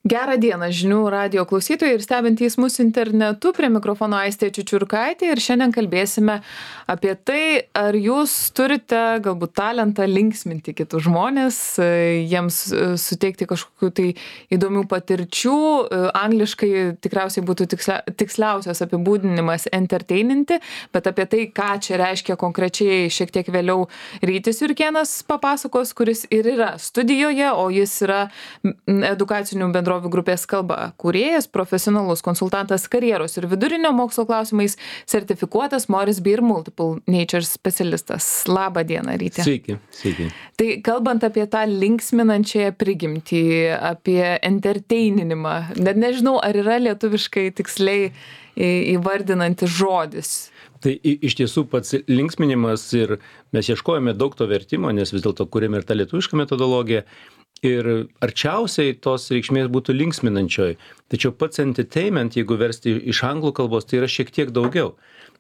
Gerą dieną žinių radijo klausytojai ir stebintys mus internetu. Prie mikrofono Aistė Čiučiurkaitė ir šiandien kalbėsime apie tai, ar jūs turite galbūt talentą linksminti kitus žmonės, jiems suteikti kažkokių tai įdomių patirčių. Angliškai tikriausiai būtų tiksliausias apibūdinimas entertaininti, bet apie tai, ką čia reiškia konkrečiai, šiek tiek vėliau Rytis Jurkėnas papasakos, kuris ir yra studijoje, o jis yra edukacinių bendrovių grupės Kalba kūrėjas, profesionalus konsultantas karjeros ir vidurinio mokslo klausimais, sertifikuotas Morris Beer Multiple Nature specialistas. Labą dieną, Ryti. Sveiki. Tai kalbant apie tą linksminančiąją prigimtį, apie entertaininimą, net nežinau, ar yra lietuviškai tiksliai įvardinantis žodis. Tai iš tiesų pats linksminimas ir mes ieškojame daug to vertimo, nes vis dėlto kūrėme ir tą lietuvišką metodologiją. Ir arčiausiai tos reikšmės būtų linksminančioji. Tačiau pats entertainment, jeigu versti iš anglų kalbos, tai yra šiek tiek daugiau.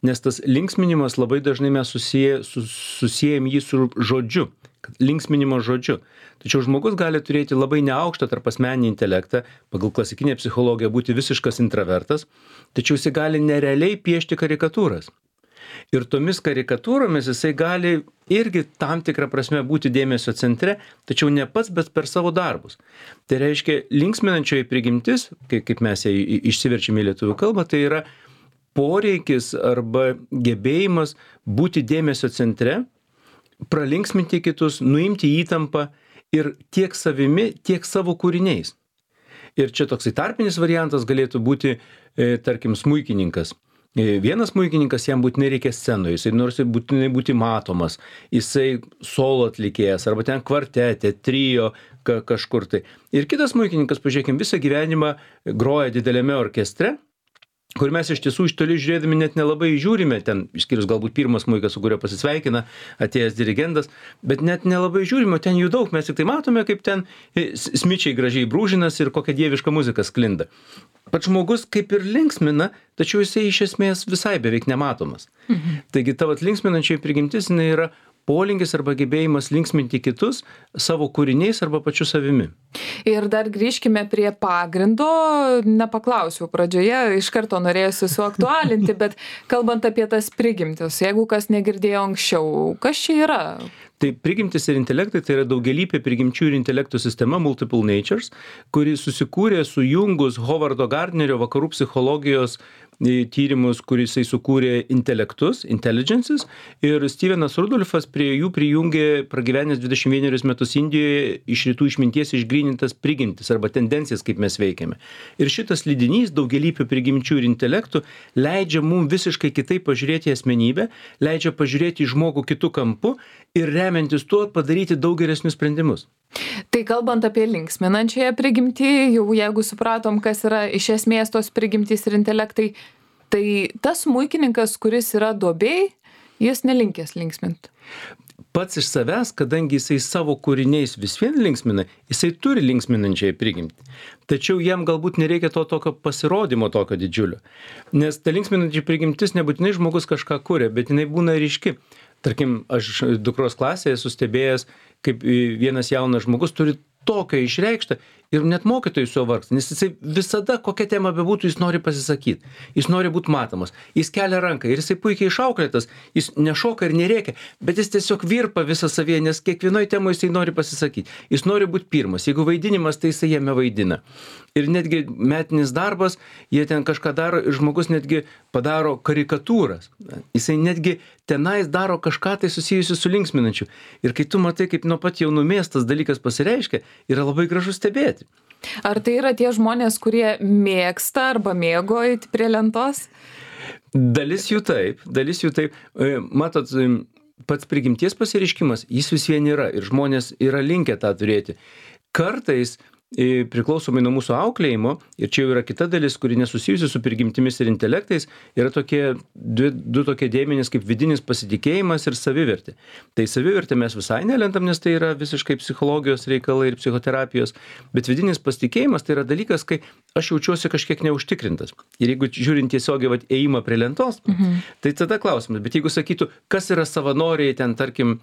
Nes tas linksminimas labai dažnai mes susijėjam jį su žodžiu, linksminimo žodžiu. Tačiau žmogus gali turėti labai neaukštą tarpasmeninį intelektą, pagal klasikinę psichologiją būti visiškas intravertas, tačiau jis gali nerealiai piešti karikatūras. Ir tomis karikatūromis jisai gali irgi tam tikrą prasme būti dėmesio centre, tačiau ne pats, bet per savo darbus. Tai reiškia, linksminančioji prigimtis, kaip mes ją išsiverčiame į lietuvių kalbą, tai yra poreikis arba gebėjimas būti dėmesio centre, pralinksminti kitus, nuimti įtampą ir tiek savimi, tiek savo kūriniais. Ir čia toksai tarpinis variantas galėtų būti, tarkim, smuikininkas. Vienas smuikininkas, jam būtinai reikia scenoje, jisai nors būtinai būti matomas, jisai solo atlikėjas, arba ten kvartetė, trio kažkur tai. Ir kitas smuikininkas, pažiūrėkim, visą gyvenimą groja dideliame orkestre, kur mes iš tiesų iš toli žiūrėdami net nelabai žiūrime, ten išskyrus galbūt pirmas smuikas, su kurio pasisveikina atėjęs dirigentas, bet net nelabai žiūrime, ten jų daug, mes tik tai matome, kaip ten smičiai gražiai brūžinas ir kokia dieviška muzika sklinda. Pats žmogus kaip ir linksmina, tačiau jisai iš esmės visai beveik nematomas. Taigi tavo linksminančioji prigimtis jinai yra polinkis arba gebėjimas linksminti kitus savo kūriniais arba pačiu savimi. Ir dar grįžkime prie pagrindo, nepaklausiau pradžioje, iš karto norėjusi suaktualinti, bet kalbant apie tas prigimtis, jeigu kas negirdėjo anksčiau, kas čia yra? Tai prigimtis ir intelektai tai yra daugialypė prigimčių ir intelektų sistema Multiple Natures, kuri susikūrė sujungus Hovardo Gardnerio vakarų psichologijos tyrimus, kuris jisai sukūrė intelektus, intelligences, ir Stevenas Rudolfas prie jų prijungė pragyvenęs 21 metus Indijoje iš rytų išminties išgrynintas prigimtis arba tendencijas, kaip mes veikiame. Ir šitas lydinys daugialypių prigimčių ir intelektų leidžia mums visiškai kitaip pažiūrėti į asmenybę, leidžia pažiūrėti į žmogų kitų kampų ir remiantis tuo padaryti daug geresnius sprendimus. Tai kalbant apie linksminančiąją prigimtį, jau jeigu supratom, kas yra iš esmės tos prigimtys ir intelektai, tai tas smuikininkas, kuris yra duobėj, jis nelinkęs linksminti. Pats iš savęs, kadangi jisai savo kūriniais vis vien linksmina, jisai turi linksminančiąją prigimtį. Tačiau jam galbūt nereikia to tokio pasirodymo tokio didžiulio. Nes ta linksminančia prigimtis nebūtinai žmogus kažką kuria, bet jinai būna ryški. Tarkim, aš dukros klasėje esu stebėjęs, kaip vienas jaunas žmogus turi tokio išreikštą ir net mokytojai su juo vargsta, nes jisai visada, kokia tema bebūtų, jis nori pasisakyti, jis nori būti matomas, jis kelia ranką ir jisai puikiai išauklėtas, jis nešoka ir nerėkia, bet jis tiesiog virpa visą savyje, nes kiekvienoje temoje jisai nori pasisakyti, jis nori būti pirmas, jeigu vaidinimas, tai jisai jame vaidina. Ir netgi metinis darbas, jie ten kažką daro ir žmogus netgi padaro karikatūras. Jisai netgi tenais daro kažką tai susijusiu su linksminančiu. Ir kai tu matai, kaip nuo pat jaunumės tas dalykas pasireiškia, yra labai gražu stebėti. Ar tai yra tie žmonės, kurie mėgsta arba mėgo eiti prie lentos? Dalis jų taip. Matot, pats prigimties pasireiškimas, jis vis vien yra ir žmonės yra linkę tą turėti. Kartais priklausomai nuo mūsų auklėjimo, ir čia jau yra kita dalis, kuri nesusijusi su prigimtimis ir intelektais, yra du tokie dėmenys kaip vidinis pasitikėjimas ir savivertė. Tai savivertė mes visai nelentam, nes tai yra visiškai psichologijos reikalai ir psichoterapijos, bet vidinis pasitikėjimas tai yra dalykas, kai aš jaučiuosi kažkiek neužtikrintas. Ir jeigu žiūrint tiesiogiai ėjimą prie lentos, tai tada klausimas, bet jeigu sakytų, kas yra savanoriai ten, tarkim,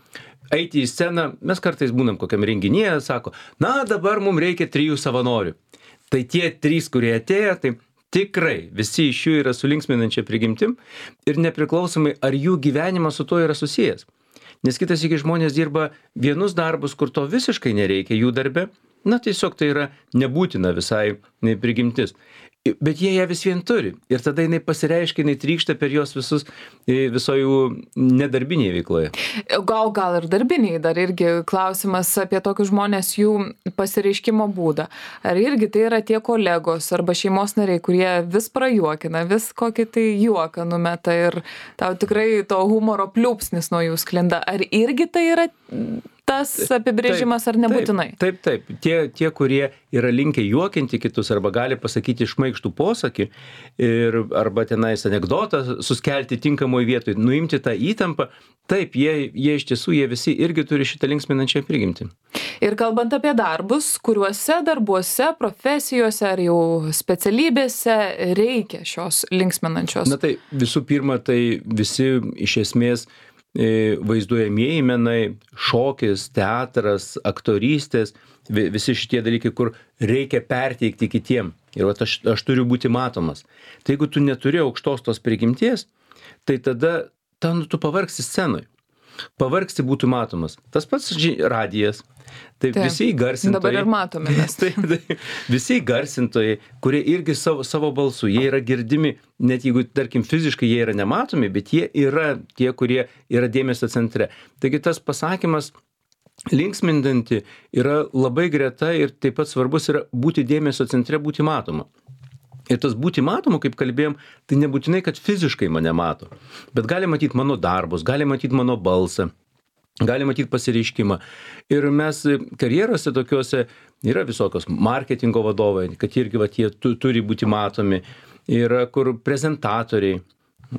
eiti į sceną, mes kartais būnam kokiam renginyje, sako, na dabar mums reikia 3 savanorių. Tai tie 3, kurie atėjo, tai tikrai visi iš jų yra su linksminančia prigimtim ir nepriklausomai, ar jų gyvenimas su to yra susijęs. Nes kitas iki žmonės dirba vienus darbus, kur to visiškai nereikia jų darbe, na tiesiog tai yra nebūtina visai prigimtis. Bet jie ją vis vien turi. Ir tada jinai pasireiškia, jinai trykšta per juos viso jų nedarbinėje veikloje. Gal ir darbiniai dar irgi klausimas apie tokius žmonės, jų pasireiškimo būdą. Ar irgi tai yra tie kolegos arba šeimos nariai, kurie vis prajuokina, vis kokį tai juoką numeta ir tau tikrai to humoro pliūpsnis nuo jų sklinda. Ar irgi tai yra tas apibrėžimas ar nebūtinai? Taip. Tie, kurie yra linkę juokinti kitus arba gali pasakyti šmaikštų posakį arba tenais anekdotą suskelti tinkamoje vietoje, nuimti tą įtampą, taip, jie iš tiesų, jie visi irgi turi šitą linksminančią prigimtį. Ir kalbant apie darbus, kuriuose darbuose, profesijose ar jau specialybėse reikia šios linksminančios? Na tai visų pirma, tai visi iš esmės vaizduojamieji menai, šokis, teatras, aktorystės, visi šitie dalykai, kur reikia perteikti kitiem. Ir aš turiu būti matomas. Tai jeigu tu neturi aukštos tos prigimties, tai tada tu pavargsi scenoj. Pavargsi būti matomas. Tas pats radijas. Taip, visi įgarsintojai. Dabar ir matome mes. Taip, visi įgarsintojai, kurie irgi savo balsu, jie yra girdimi, net jeigu, tarkim, fiziškai jie yra nematomi, bet jie yra tie, kurie yra dėmesio centre. Taigi tas pasakymas linksmindanti yra labai greta ir taip pat svarbus yra būti dėmesio centre, būti matoma. Ir tas būti matomu, kaip kalbėjom, tai nebūtinai, kad fiziškai mane mato, bet gali matyti mano darbus, gali matyti mano balsą, gali matyti pasireiškimą. Ir mes karjerose tokiuose yra visokios marketingo vadovai, kad irgi jie turi būti matomi, yra kur prezentatoriai,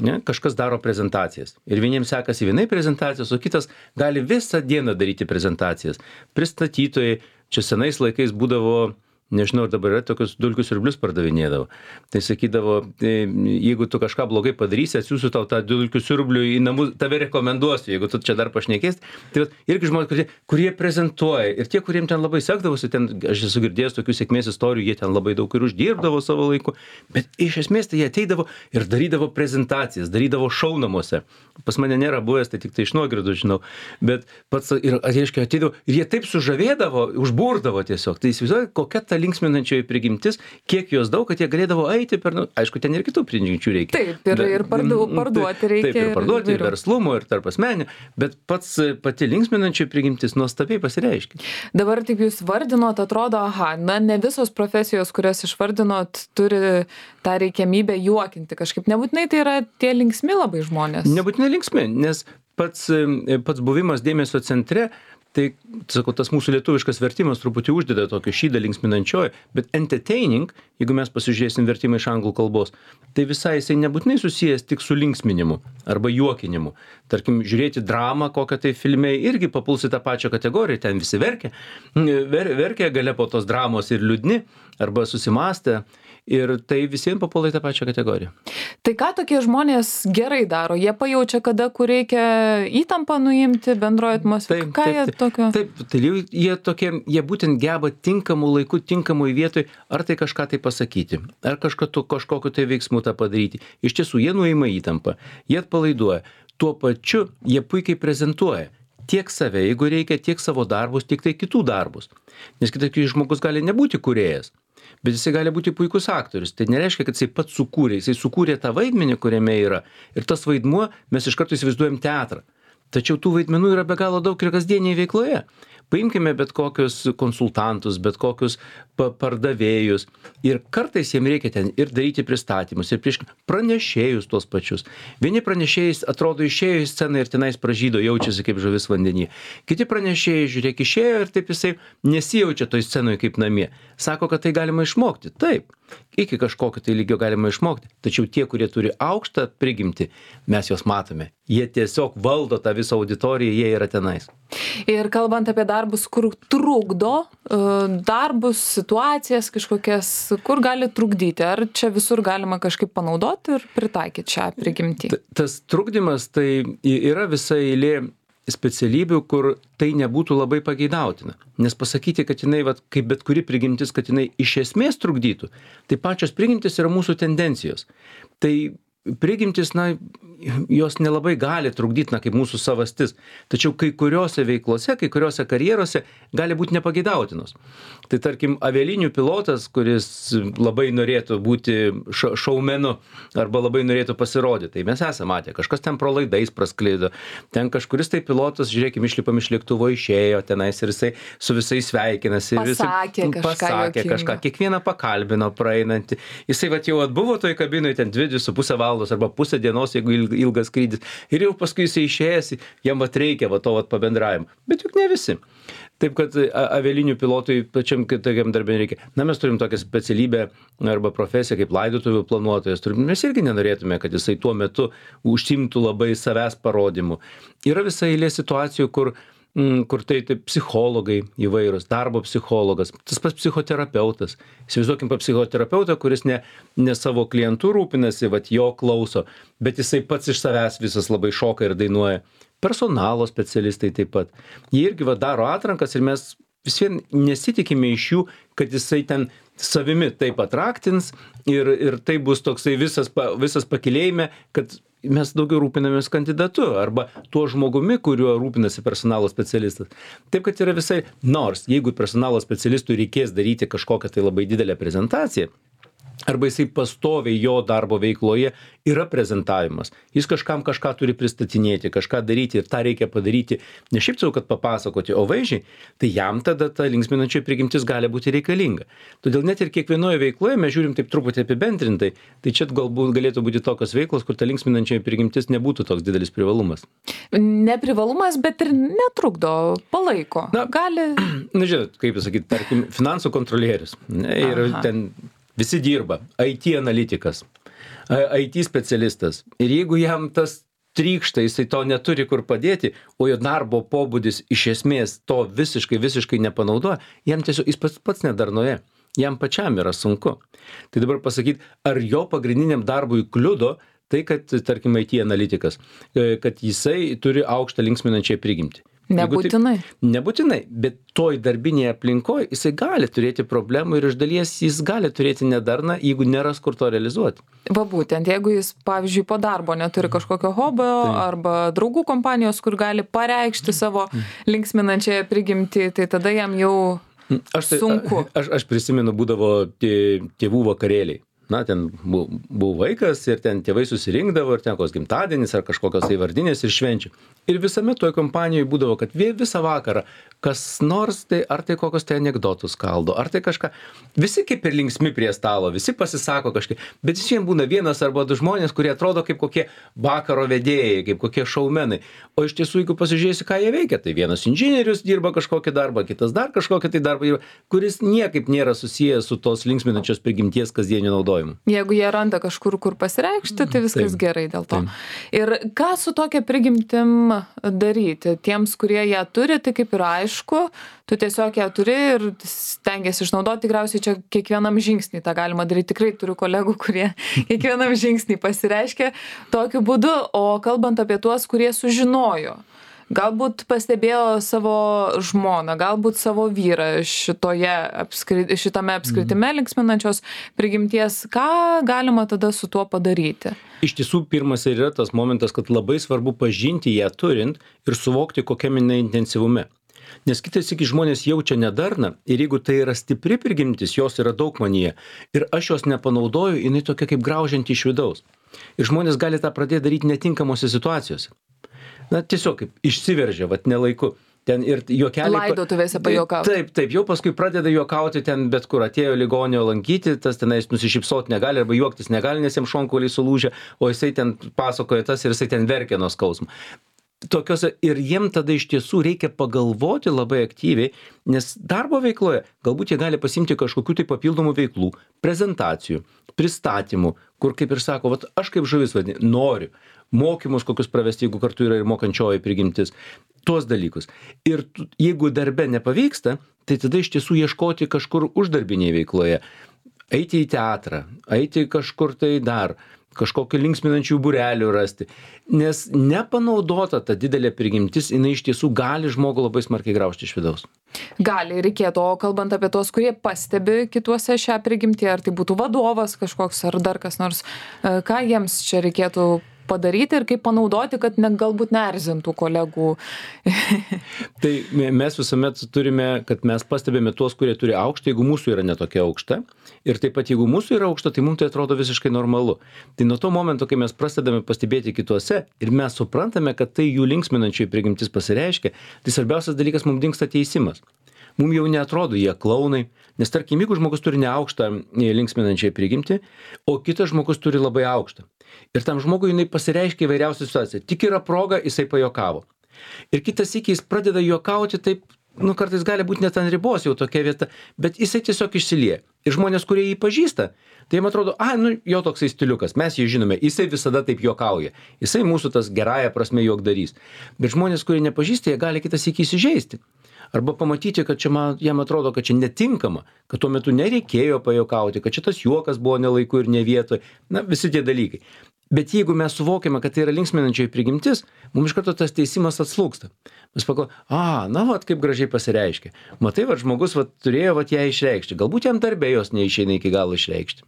ne, kažkas daro prezentacijas. Ir vieniems sekasi vienai prezentacijos, o kitas gali visą dieną daryti prezentacijas. Pristatytojai, čia senais laikais būdavo, nežinau, ir dabar yra tokius dulkių siurblius pardavinėdavo. Tai sakydavo, jeigu tu kažką blogai padarysi, atsiųsiu tau tą dulkių siurblių į namus, tave rekomenduosiu, jeigu tu čia dar pašnekėsi. Tai irgi žmonės, kurie prezentuoja. Ir tie, kuriems ten labai sekdavosi, ten, aš esu girdėjęs tokių sėkmės istorijų, jie ten labai daug ir uždirbdavo savo laiku. Bet iš esmės tai jie ateidavo ir darydavo prezentacijas, darydavo šou namuose. Pas mane nėra buvęs, tai tik tai iš nuogirdų žinau. Bet pats ir aiškiai ateidavo ir jie taip sužavėdavo, užburdavo tiesiog. Tai įsivaizduoju, kokia ta linksminančioji prigimtis, kiek jos daug, kad jie galėdavo eiti per, aišku, ten ir kitų prigimčių reikia. Taip, ir parduoti reikia. Taip, ir parduoti, ir verslumo, ir tarp asmenio, bet pati linksminančioji prigimtis nuostabiai pasireiškia. Dabar taip jūs vardinot, atrodo, ne visos profesijos, kurias išvardinot, turi tą reikiamybę juokinti kažkaip. Nebūtinai tai yra tie linksmi labai žmonės. Nebūtinai linksmi, nes pats buvimas dėmesio centre, tai, sakau, tas mūsų lietuviškas vertimas truputį uždeda tokio šydą linksminančioji, bet entertaining, jeigu mes pasižiūrėsim vertimą iš anglų kalbos, tai visai jisai nebūtinai susijęs tik su linksminimu arba juokinimu. Tarkim, žiūrėti dramą, kokią tai filme irgi papuls į tą pačią kategoriją, ten visi verkia gale po tos dramos ir liūdni arba susimąstę. Ir tai visiems papuola į tą pačią kategoriją. Tai ką tokie žmonės gerai daro? Jie pajaučia, kada kur reikia įtampą nuimti bendroje atmosferoje. Ką jie tokio? Taip, tai jie būtent geba tinkamų laikų, tinkamoj vietoj, ar tai kažką tai pasakyti, ar kažkokiu tai veiksmu tą padaryti. Iš tiesų, jie nuima įtampą, jie atpalaiduoja. Tuo pačiu jie puikiai prezentuoja tiek save, jeigu reikia, tiek savo darbus, tiek tai kitų darbus. Nes kitas žmogus gali nebūti kūrėjas, bet jisai gali būti puikus aktorius. Tai nereiškia, kad jisai pats sukūrė tą vaidmenį, kuriame yra. Ir tas vaidmuo, mes iš karto įsivaizduojam teatrą. Tačiau tų vaidmenų yra be galo daug ir kasdienėje veikloje. Paimkime bet kokius konsultantus, bet kokius pardavėjus. Ir kartais jiems reikia ten ir daryti pristatymus, ir pranešėjus tuos pačius. Vieni pranešėjai atrodo išėjo į sceną ir tenais pražydo, jaučiasi kaip žuvis vandenyje. Kiti pranešėjai, žiūrėk, išėjo ir taip jisai nesijaučia toj scenoje kaip namie. Sako, kad tai galima išmokti. Taip, iki kažkokio tai lygio galima išmokti. Tačiau tie, kurie turi aukštą prigimtį, mes juos matome. Jie tiesiog valdo tą visą auditoriją, jie yra tenais. Ir kalbant apie darbus, kur trukdo, darbus, situacijas kažkokias, kur gali trukdyti? Ar čia visur galima kažkaip panaudoti ir pritaikyti šią prigimtį? Tas trukdymas tai yra visa eilė specialybių, kur tai nebūtų labai pageidautina. Nes pasakyti, kad jinai, vat, kaip bet kuri prigimtis, kad jinai iš esmės trukdytų, tai pačios prigimtis yra mūsų tendencijos. Tai prigimtis, na, jos nelabai gali trukdyti, na, kaip mūsų savastis. Tačiau kai kuriuose veiklose, kai kuriuose karjeruose gali būti nepageidautinos. Tai tarkim, avialinijų pilotas, kuris labai norėtų būti šaumenu arba labai norėtų pasirodyti, tai mes esame matę, kažkas ten pro laidais praskleido, ten kažkuris tai pilotas, žiūrėkime, išlipam iš lėktuvo, išėjo tenais ir jisai su visais sveikinasi. Pasakė kažką, kiekvieną pakalbino praeinantį. Jisai vat jau atbuvo toj kabinoje ten 2,5 valandos arba pusę dienos, jeigu ilgas skrydis. Ir jau paskui jisai išėjęs, jam vat reikia to pabendravimo. Bet juk ne visi. Taip kad avialinijų pilotui pačiam tokiam darbė reikia. Na, mes turim tokią specialybę arba profesiją kaip laidotuvių planuotojas. Mes irgi nenorėtume, kad jisai tuo metu užsiimtų labai savęs parodymu. Yra visa eilė situacijų, kur tai psichologai įvairūs, darbo psichologas, tas pats psichoterapeutas. Įsivaizduokim psichoterapeutą, kuris ne savo klientų rūpinasi, vat jo klauso, bet jisai pats iš savęs visas labai šoka ir dainuoja. Personalo specialistai taip pat. Jie irgi daro atrankas ir mes vis vien nesitikime iš jų, kad jisai ten savimi taip atraktins ir tai bus toksai visas pakilėjime, kad mes daugiau rūpinamės kandidatu arba tuo žmogumi, kuriuo rūpinasi personalo specialistas. Taip, kad yra visai, nors jeigu personalo specialistui reikės daryti kažkokią tai labai didelę prezentaciją, arba jisai pastoviai jo darbo veikloje yra prezentavimas. Jis kažkam kažką turi pristatinėti, kažką daryti ir tą reikia padaryti ne šiaip sau, kad papasakoti, o vaizdžiai, tai jam tada ta linksminančioji prigimtis gali būti reikalinga. Todėl net ir kiekvienoje veikloje mes žiūrim taip truputį apibendrintai, tai čia galbūt galėtų būti tokios veiklos, kur ta linksminančioji prigimtis nebūtų toks didelis privalumas. Neprivalumas, bet ir netrukdo, palaiko. Gali. Na, žinot, kaip pasakyti, tarkim, finansų kontrolierius. Ir ten visi dirba, IT analitikas, IT specialistas. Ir jeigu jam tas trykšta, jisai to neturi kur padėti, o jo darbo pobūdis iš esmės to visiškai nepanaudoja, jam tiesiog jis pats nedarnoje. Jam pačiam yra sunku. Tai dabar pasakyti, ar jo pagrindiniam darbui kliudo tai, kad, tarkim, IT analitikas, kad jisai turi aukštą linksminančią prigimtį. Nebūtinai, bet toj darbinėje aplinkoje jisai gali turėti problemų ir iš dalies jis gali turėti nedarną, jeigu neras kur to realizuoti. Va būtent, jeigu jis, pavyzdžiui, po darbo neturi kažkokio hobio arba draugų kompanijos, kur gali pareikšti savo linksminančiąją prigimtį, tai tada jam jau sunku. Aš prisimenu, būdavo tėvų vakarėliai. Na, ten buvo vaikas ir ten tėvai susirinkdavo ir ten koks gimtadienis ar kažkokios tai vardinės ir švenčių. Ir visame toj kompanijoje būdavo, kad visą vakarą kas nors, tai ar tai kokios tai anekdotus kaldo, ar tai kažką. Visi kaip ir linksmi prie stalo, visi pasisako kažkaip, bet visiems būna vienas arba du žmonės, kurie atrodo kaip kokie vakaro vedėjai, kaip kokie šaumenai. O iš tiesų, jeigu pasižiūrėsi, ką jie veikia, tai vienas inžinierius dirba kažkokį darbą, kitas dar kažkokį tai darbą dirba, kuris niekaip nėra susijęs su tos linksminančios prigimties kasdieniu naudojimu. Jeigu jie randa kažkur, kur pasireikšti, tai viskas gerai dėl to. Ir ką su tokia prigimtim daryti? Tiems, kurie ją turi, tai kaip ir aišku, tu tiesiog ją turi ir stengiasi išnaudoti, tikriausiai čia kiekvienam žingsnį tą galima daryti. Tikrai turiu kolegų, kurie kiekvienam žingsnį pasireiškia tokiu būdu, o kalbant apie tuos, kurie sužinojo, galbūt pastebėjo savo žmoną, galbūt savo vyrą šitame apskritime linksminančios prigimties, ką galima tada su tuo padaryti? Iš tiesų, pirmas ir yra tas momentas, kad labai svarbu pažinti ją turint ir suvokti, kokiam jinai intensyvume. Nes kitais iki žmonės jaučia nedarną ir jeigu tai yra stipri prigimtis, jos yra daug manyje ir aš jos nepanaudoju, jinai tokia kaip graužianti iš vidaus. Ir žmonės gali tą pradėti daryti netinkamose situacijose. Na, tiesiog kaip išsiveržia, ne laiku. Ten ir juokeliai. Laidotuvėse pajuokauti. Taip, jau paskui pradeda juokauti ten bet kur, atėjo ligonio lankyti, tas tenais nusišypsoti negali arba juoktis negali, nes jam šonkauliai sulūžę, o jisai ten pasakoja tas ir jisai ten verkia nuo skausmo. Tokiose ir jiem tada iš tiesų reikia pagalvoti labai aktyviai, nes darbo veikloje galbūt jie gali pasimti kažkokių tai papildomų veiklų, prezentacijų, pristatymų, kur kaip ir sako, aš kaip žuvis noriu mokymus kokius pravesti, jeigu kartu yra ir mokančioji prigimtis, tuos dalykus. Ir jeigu darbe nepavyksta, tai tada iš tiesų ieškoti kažkur uždarbinėje veikloje, eiti į teatrą, eiti kažkur tai dar, kažkokių linksminančių būrelių rasti. Nes nepanaudota ta didelė prigimtis, jinai iš tiesų gali žmogų labai smarkiai graužti iš vidaus. Gali, reikėtų, o kalbant apie tos, kurie pastebi kituose šią prigimtį, ar tai būtų vadovas kažkoks, ar dar kas nors, ką jiems čia reikėtų padaryti ir kaip panaudoti, kad galbūt neerzintų kolegų. Tai mes visuomet turime, kad mes pastebėme tuos, kurie turi aukštą, jeigu mūsų yra netokia aukšta. Ir taip pat, jeigu mūsų yra aukšta, tai mums tai atrodo visiškai normalu. Tai nuo to momento, kai mes prasidame pastebėti kituose ir mes suprantame, kad tai jų linksminančiai prigimtis pasireiškia, tai svarbiausias dalykas mums dingsta teisimas. Mums jau neatrodo jie klaunai, nes tarkim, jeigu žmogus turi neaukštą linksminančiai prigimtį, o kitas žmogus turi labai aukštą. Ir tam žmogui jinai pasireiškia įvairiausią situaciją. Tik yra proga, jisai pajokavo. Ir kitas sykį jis pradeda juokauti taip, kartais gali būti net ant ribos jau tokia vieta, bet jisai tiesiog išsilieja. Ir žmonės, kurie jį pažįsta, tai jiem atrodo, jo toksai stiliukas, mes jį žinome, jisai visada taip juokauja. Jisai mūsų tas gerąją prasme juokdarys. Bet žmonės, kurie nepažįsta, jie gali kitas sykį įsižeisti. Arba pamatyti, kad čia jam atrodo, kad čia netinkama, kad tuo metu nereikėjo pajokauti, kad čia tas juokas buvo ne laiku ir ne vietoj. Visi tie dalykai. Bet jeigu mes suvokiame, kad tai yra linksminančioji prigimtis, mums iš karto tas teisimas atslūgsta. Mes pagalvojame, kaip gražiai pasireiškia. Matai, žmogus turėjo ją išreikšti. Galbūt jam darbė jos neišeina iki galo išreikšti.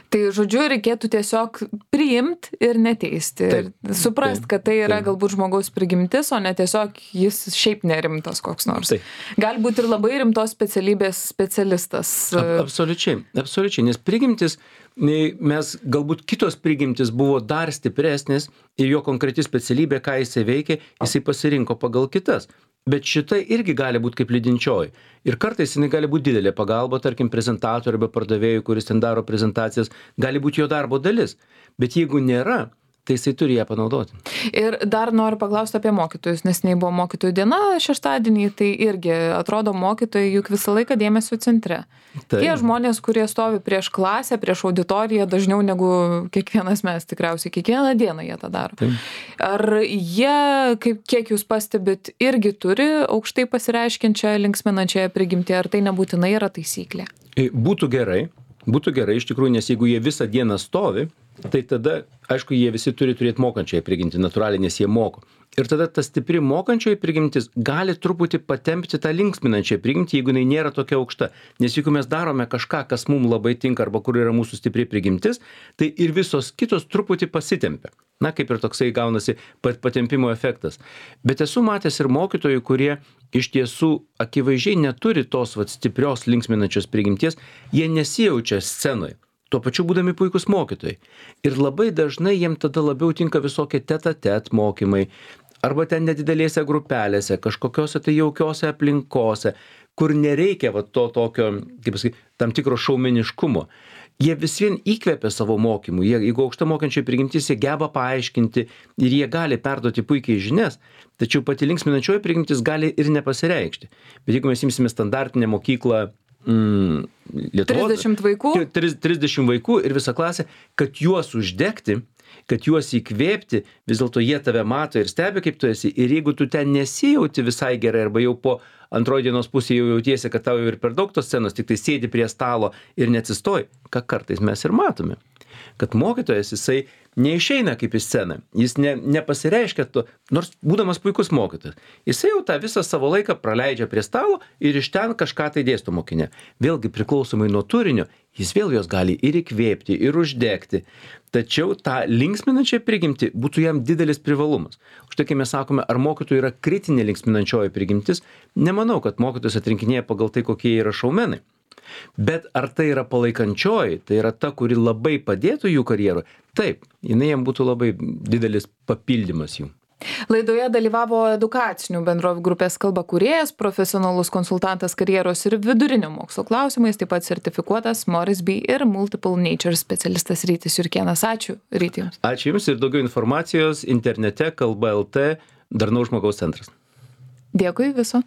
Tai žodžiu, reikėtų tiesiog priimti ir neteisti. Taip, suprast, kad tai yra galbūt žmogaus prigimtis, o ne tiesiog jis šiaip nerimtas koks nors. Taip. Galbūt ir labai rimtos specialybės specialistas. Absoliučiai, nes prigimtis, galbūt kitos prigimtis buvo dar stipresnės ir jo konkreti specialybė, ką jisai veikia, jisai pasirinko pagal kitas. Bet šita irgi gali būti kaip lydinčioji. Ir kartais jinai gali būti didelė pagalba, tarkim, prezentatoriui arba pardavėjui, kuris ten daro prezentacijas, gali būti jo darbo dalis. Bet jeigu nėra, tai jisai turi ją panaudoti. Ir dar noriu paklausti apie mokytojus, nes buvo mokytojų diena šeštadienį, tai irgi atrodo mokytojai juk visą laiką dėmesio centre. Tai. Tie žmonės, kurie stovi prieš klasę, prieš auditoriją, dažniau negu kiekvienas mes, tikriausiai kiekvieną dieną jie tą daro. Tai. Ar jie, kiek jūs pastebit, irgi turi aukštai pasireiškiančią linksminančią prigimtį, ar tai nebūtinai yra taisyklė? Būtų gerai iš tikrųjų, nes jeigu jie visą dieną stovi, tai tada, aišku, jie visi turi turėti mokančiąją prigimtį, natūraliai, nes jie moko. Ir tada ta stipri mokančioji prigimtis gali truputį patempti tą linksminančią prigimtį, jeigu jinai nėra tokia aukšta. Nes jeigu mes darome kažką, kas mums labai tinka arba kur yra mūsų stipri prigimtis, tai ir visos kitos truputį pasitempia. Kaip ir toksai gaunasi patempimo efektas. Bet esu matęs ir mokytojų, kurie iš tiesų akivaizdžiai neturi tos stiprios linksminančios prigimties, jie nesijaučia scenoje. Tuo pačiu būdami puikus mokytojai. Ir labai dažnai jiem tada labiau tinka visokie tet-a-tet mokymai, arba ten nedidelėse grupelėse, kažkokiose tai jaukiose aplinkose, kur nereikia to tokio, tam tikro šaumeniškumo. Jie vis vien įkvepia savo mokymų. Jeigu aukšta mokančiai prigimtis, jie geba paaiškinti ir jie gali perduoti puikiai žinias, tačiau pati linksminančioji prigimtis gali ir nepasireikšti. Bet jeigu mes imsime standartinę mokyklą, Lietuvos, 30 vaikų? 30 vaikų ir visą klasę, kad juos uždegti, kad juos įkvėpti, vis dėlto jie tave mato ir stebi, kaip tu esi. Ir jeigu tu ten nesijauti visai gerai, arba jau po antroji dienos pusėje jau jautiesi, kad tau jau ir per daug tos scenos, tik tai sėdi prie stalo ir neatsistoji, ką kartais mes ir matome. Kad mokytojas, jisai neišeina kaip į sceną, jis nepasireiškia to, nors būdamas puikus mokytojas. Jisai jau tą visą savo laiką praleidžia prie stalo ir iš ten kažką tai dėsto mokinė. Vėlgi priklausomai nuo turinio, jis vėl jos gali ir įkvėpti, ir uždegti. Tačiau tą linksminančią prigimtį būtų jam didelis privalumas. Štai kai mes sakome, ar mokytojui yra kritinė linksminančioji prigimtis, nemanau, kad mokytojas atrinkinėja pagal tai, kokie yra šaumenai. Bet ar tai yra palaikančioji, tai yra ta, kuri labai padėtų jų karjeroje? Taip, jinai jam būtų labai didelis papildymas jų. Laidoje dalyvavo edukacinių bendrovių grupės Kalba kūrėjas, profesionalus konsultantas karjeros ir vidurinio mokslo klausimais, taip pat sertifikuotas Moresby ir Multiple Nature specialistas Rytis Jurkėnas. Ačiū, Ryti jums. Ačiū jums ir daugiau informacijos internete kalba.lt Darnaus žmogaus centras. Dėkui viso.